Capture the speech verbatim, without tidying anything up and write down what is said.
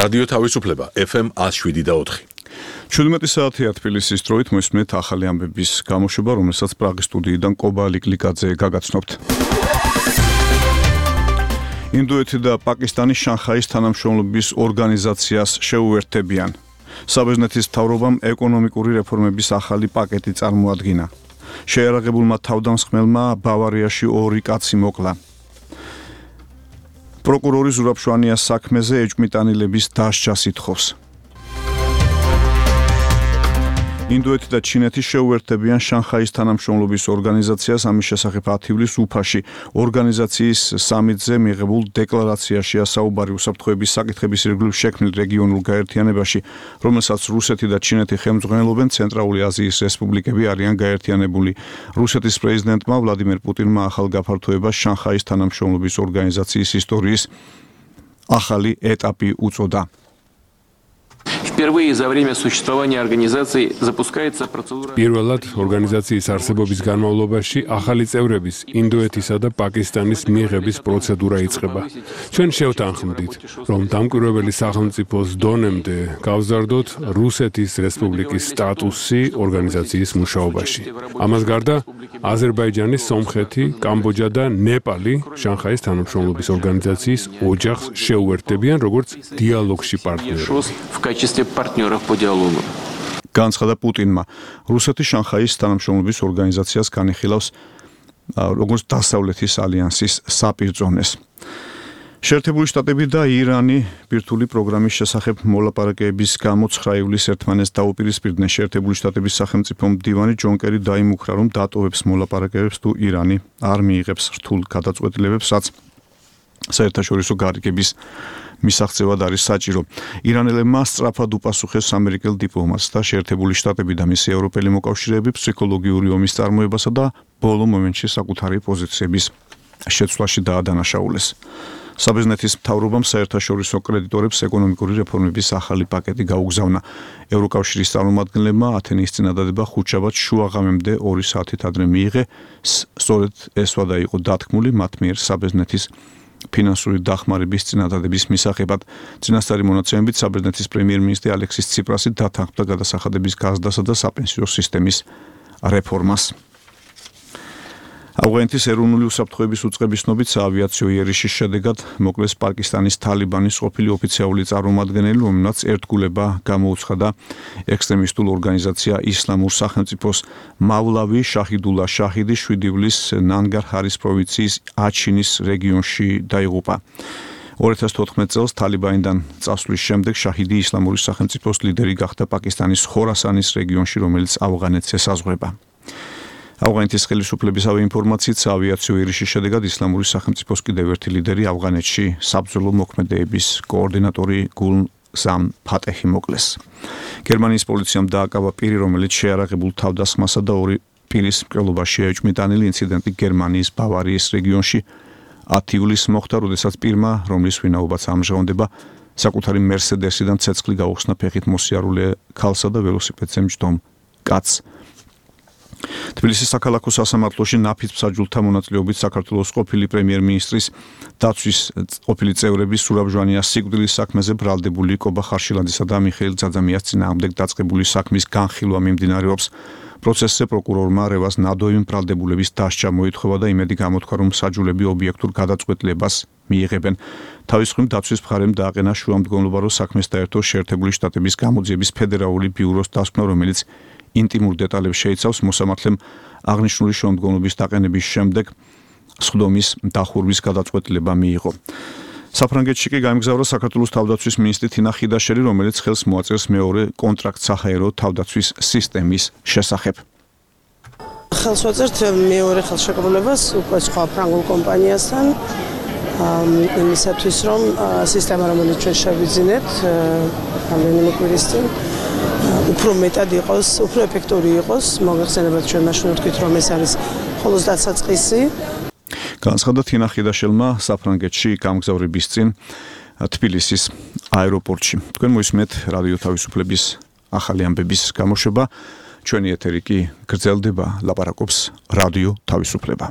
რადიო თავისუფლება ეფ ემ one oh seven და four. ჩვიდმეტი საათია თბილისის დროით მოისმენთ ახალი ამბების გამოშვება, რომელსაც პრაღის სტუდიიდან კობა ლიკლიკაძე გაგაცნობთ. ინდოეთი და პაკისტანი შანხაის თანამშრომლობის ორგანიზაციას შეუერთდებიან. საბერძნეთის მთავრობამ ეკონომიკური რეფორმების ახალი პაკეტი წარმოადგინა. შეიარაღებულმა თავდამსხმელმა ბავარიაში ორი კაცი მოკლა. პროკურორი ზურაბ შვანიას საქმეზე ეჭვმიტანილების დასჯას ითხოვს. ინდოეთი და ჩინეთი შეუერთდებიან შანხაის თანამშრომლობის ორგანიზაციას, ამის შესახებ ათი ივლისს უფაში ორგანიზაციის სამიტზე მიღებულ დეკლარაციაშია საუბარი უსაფრთხოების საკითხების ირგვლივ შექმნილ რეგიონულ გაერთიანებაში, რომელსაც რუსეთი და ჩინეთი ხელმძღვანელობენ. ცენტრალური აზიის რესპუბლიკები არიან გაერთიანებული. რუსეთის პრეზიდენტმა ვლადიმერ პუტინმა ახალ გაფართოებას შანხაის თანამშრომლობის ორგანიზაციის ისტორიის ახალი ეტაპი უწოდა. Впервые за время существования организации запускается процедура. Პირველად ორგანიზაციის არსებობის განმავლობაში ახალი წევრების ინდოეთისა და პაკისტანის მიღების პროცედურა იწყება. ჩვენ შევთანხმდით, რომ დამკვირვებელი სახელმწიფოს დონემდე გავზარდოთ რუსეთის რესპუბლიკის სტატუსი ორგანიზაციის მუშაობაში. ამას გარდა აზერბაიჯანი, სომხეთი, კამბოჯა და ნეპალი შანხაის თანამშრომლობის ორგანიზაციის ოჯახს შეუერთდებიან როგორც დიალოგში პარტნიორი. партнеров по диалогу. განცხადა პუტინმა. რუსეთი შანხაის თანამშრომლობის ორგანიზაციას განიხილავს როგორც დასავლეთის ალიანსის საპირწონეს. შეერთებული შტატები და ირანი ბირთვული პროგრამის შესახებ მოლაპარაკებების გამო ცხრა ივლისს ერთმანეთს დაუპირისპირდნენ. შეერთებული შტატების სახელმწიფო მდივანი ჯონ კერი დაიმუქრა, რომ დატოვებს მოლაპარაკებებს თუ ირანი არ მიიღებს რთულ გადაწყვეტილებებს, რაც საერთაშორისო გარიგების მისაღწევად არის საჭირო. ირანელებმა სწრაფად უპასუხეს ამერიკელ დიპლომატს და შეერთებული შტატები და მისი ევროპელი მოკავშირეები ფსიქოლოგიური ომის წარმოებასა და ბოლო მომენტში საკუთარი პოზიციების შეცვლაში დაადანაშაულეს. საბერძნეთის მთავრობამ საერთაშორისო კრედიტორებს ეკონომიკური რეფორმების ახალი პაკეტი გაუგზავნა. ევროკავშირის წარმომადგენლებმა ათენის წინადადება ხუთშაბათ შუაღამემდე ორი საათით ადრე მიიღე. სწორედ ეს ვადა იყო დათქმული მათ მიერ საბერძნეთის ფინანსური დახმარების წინადადების მისაღებად. წინასწარი მონაცემებით საბერძნეთის პრემიერ-მინისტრი ალექსის ციპრასი დათანხმდა გადასახადების გაზრდასა და საპენსიო სისტემის რეფორმას. ავღანეთის ეროვნული უსაფრთხოების უწყების ცნობით საავიაციო იერიშის შედეგად მოკლეს პაკისტანის თალიბანის ყოფილი ოფიციალური წარმომადგენელი, რომელმაც ერთგულება გამოუცხადა ექსტრემისტულ ორგანიზაცია ისლამურ სახელმწიფოს. მავლავი შაჰიდულა შაჰიდი შვიდი ივლისს ნანგარჰარის პროვინციის აჩინის რეგიონში დაიღუპა. ორი ათას თოთხმეტ წელს თალიბანიდან წასვლის შემდეგ შაჰიდი ისლამური სახელმწიფოს ლიდერი გახდა პაკისტანის ხორასანის რეგიონში, რომელიც ავღანეთს ესაზღვრება. ავღანეთის ხელისუფლებისავე ინფორმაციით საავიაციო იერიშის შედეგად ისლამური სახელმწიფოს კიდევ ერთი ლიდერი ავღანეთში საბრძოლო მოქმედებების კოორდინატორი გულზამ ფატეჰი მოკლეს. გერმანიის პოლიციამ დააკავა პირი, რომელიც შეიარაღებულ თავდასხმასა და ორი პირის მკვლელობაშია ეჭვმიტანილი. ინციდენტი გერმანიის ბავარიის რეგიონში ათი ივლისს მოხდა, როდესაც პირმა, რომლის ვინაობაც ამჟღავნდება, საკუთარი მერსედესიდან ცეცხლი გაუხსნა ფეხით მოსიარულე ქალსა და ველოსიპედზე მჯდომ კაცს. თბილისის საქალაქო სასამართლოში ნაფიც მსაჯულთა მონაწილეობით საქართველოს ყოფილი პრემიერ-მინისტრის დაცვის ყოფილი წევრები ზურაბ ჟვანიას სიკვდილის საქმეზე ბრალდებული კობა ხარშილაძისა და მიხეილ ძაძამიას წინააღმდეგ დაწყებული საქმის განხილვა მიმდინარეობს. პროცესზე პროკურორმა რევას ნადოიმ ბრალდებულების დასჯა მოითხოვა და იმედი გამოთქვა, რომ მსაჯულები ობიექტურ გადაწყვეტილებას მიიღებენ. თავის მხრივ დაცვის მხარემ დააყენა შუამდგომლობა, რომ საქმეს დაერთო შეერთებული შტატების გამოძიების ფედერალური ბიუროს დასკვნა, რომელიც ინტიმურ დეტალებს შეიცავს. მოსამართლემ აღნიშნული შუამდგომლობის დაყენების შემდეგ სხდომის დახურვის გადაწყვეტილება მიიღო. საფრანგეთში კი გაემგზავრა საქართველოს თავდაცვის მინისტრი თინა ხიდაშელი, რომელიც ხელს მოაწერს მეორე კონტრაქტს საჰაერო თავდაცვის სისტემის შესახებ. ხელს ვაწერთ მეორე ხელშეკრულებას უკვე სხვა ფრანგულ კომპანიასთან იმისათვის, რომ სისტემა, რომელიც ჩვენ შევიძინეთ რამდენიმე კვირის წინ, უფრო მეტად იყოს, უფრო ეფექტური იყოს. მოგეხსენებათ, ჩვენ მაშინ ვთქვით, რომ ეს არის მხოლოდ დასაწყისი. განცხადა თინა ხიდაშელმა საფრანგეთში გამგზავრების წინ თბილისის აეროპორტში. თქვენ მოისმენთ რადიო თავისუფლების ახალი ამბების გამოშვება. ჩვენი ეთერი კი გრძელდება, ლაპარაკობს რადიო თავისუფლება.